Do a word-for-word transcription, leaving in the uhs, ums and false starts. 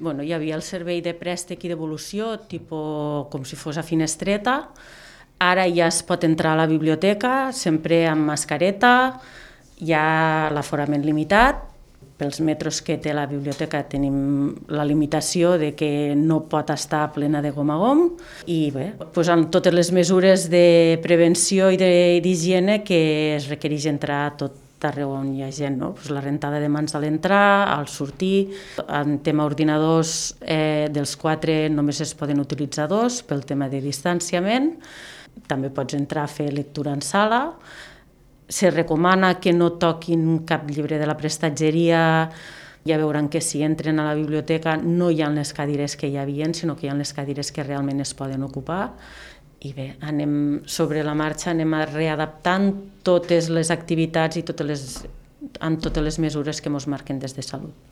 Bueno, hi havia el servei de préstec i devolució, tipus com si fos a finestreta. Ara ja es pot entrar a la biblioteca, sempre amb mascareta, hi ha l'aforament limitat. Pels metres que té la biblioteca tenim la limitació de que no pot estar plena de gom a gom i bé, doncs amb totes les mesures de prevenció i d'higiene que es requereix entrar a tot arreu on hi ha gent, no? Pues la rentada de mans a l'entrar, al sortir. En tema ordinadors, eh, dels quatre només es poden utilitzar dos pel tema de distanciament. També pots entrar a fer lectura en sala. Se recomana que no toquin cap llibre de la prestatgeria. Ja veuran que si entren a la biblioteca no hi ha les cadires que hi havia, sinó que hi ha les cadires que realment es poden ocupar. I bé, anem sobre la marxa, anem readaptant totes les activitats i totes les, amb totes les mesures que ens marquen des de Salut.